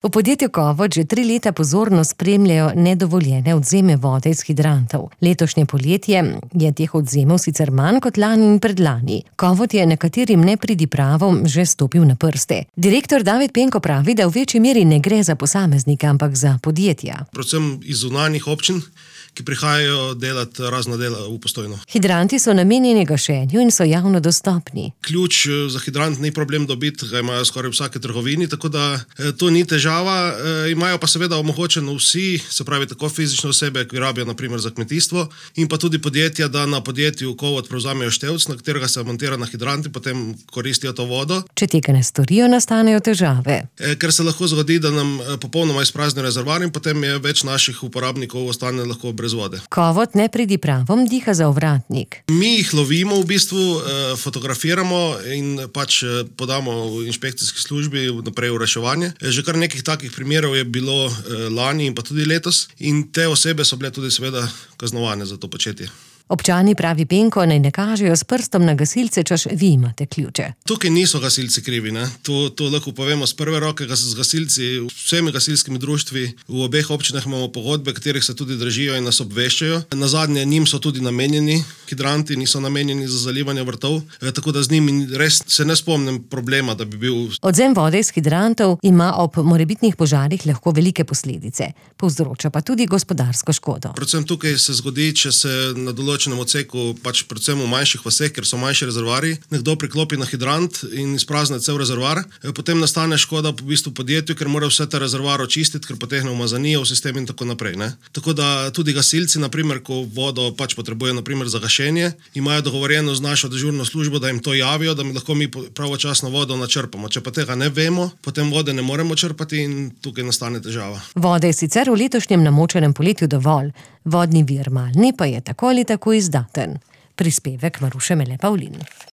V podjetju Kovot že 3 leta pozorno spremljajo nedovoljene odvzeme vode iz hidrantov. Letošnje poletje je teh odvzemov sicer manj kot lani in predlani. Kovot je nekaterim nepridipravom že stopil na prste. Direktor David Penko pravi, da v večji meri ne gre za posameznike, ampak za podjetja. Predvsem iz zunanjih občin, ki prihajajo delati razna dela v Postojno. Hidranti so namenjeni gašenju in so javno dostopni. Ključ za hidrant ni problem dobiti, ga imajo skoraj v vsaki trgovini, tako da to ni težava. Imajo pa seveda omogočeno vsi, se pravi tako fizične osebe, ki rabijo na primer za kmetijstvo, in pa tudi podjetja, da na podjetju Kovot prevzamejo števc, na katerega se montira na hidrant in potem koristijo to vodo. Če tega ne storijo, nastanejo težave. Ker se lahko zgodi, da nam popolnoma izprazni rezervoar in potem je več naših uporabnikov ostane lahko brez vode. Kovot nepridipravom diha za ovratnik. Mi jih lovimo v bistvu, fotografiramo in pač podamo v inšpekcijski službi naprej v reševanje. Že kar nekih takih primerov je bilo lani in pa tudi letos in te osebe so bile tudi seveda kaznovane za to početje. Občani, pravi Penko, naj ne kažejo s prstom na gasilce, češ vi imate ključe. Tukaj niso gasilci krivi, ne. To lahko povemo z prve roke, z gasilci, vsemi gasilskimi društvi. V obeh občinah imamo pogodbe, katerih se tudi držijo in nas obveščajo. Nazadnje njim so tudi namenjeni hidranti, niso namenjeni za zalivanje vrtov, tako da z njimi res se ne spomnim problema, da bi bil. Odvzem vode iz hidrantov ima ob morebitnih požarih lahko velike posledice. Povzroča pa tudi gospodarsko škodo. Predvsem tukaj se zgodi, če se na določenem odseku, pač predvsem v manjših vaseh, ker so manjši rezervoarji, nekdo priklopi na hidrant in izprazne cel rezervoar, potem nastane škoda v bistvu podjetju, ker mora vse ta rezervoar očistiti, ker potegne umazanijo v sistem in tako naprej, ne. Tako da tudi gasilci, na primer, ko vodo pač potrebujejo na primer za gašenje, imajo dogovorjeno z našo dežurno službo, da jim to javijo, da mi lahko mi pravočasno vodo načrpamo. Če pa tega ne vemo, potem vode ne moremo črpati in tukaj nastane težava. Vode je sicer v letošnjem namočenem poletju dovolj, vodni vir Malni pa je tako ali tako izdaten. Prispevek Maruše Mele Pavlin.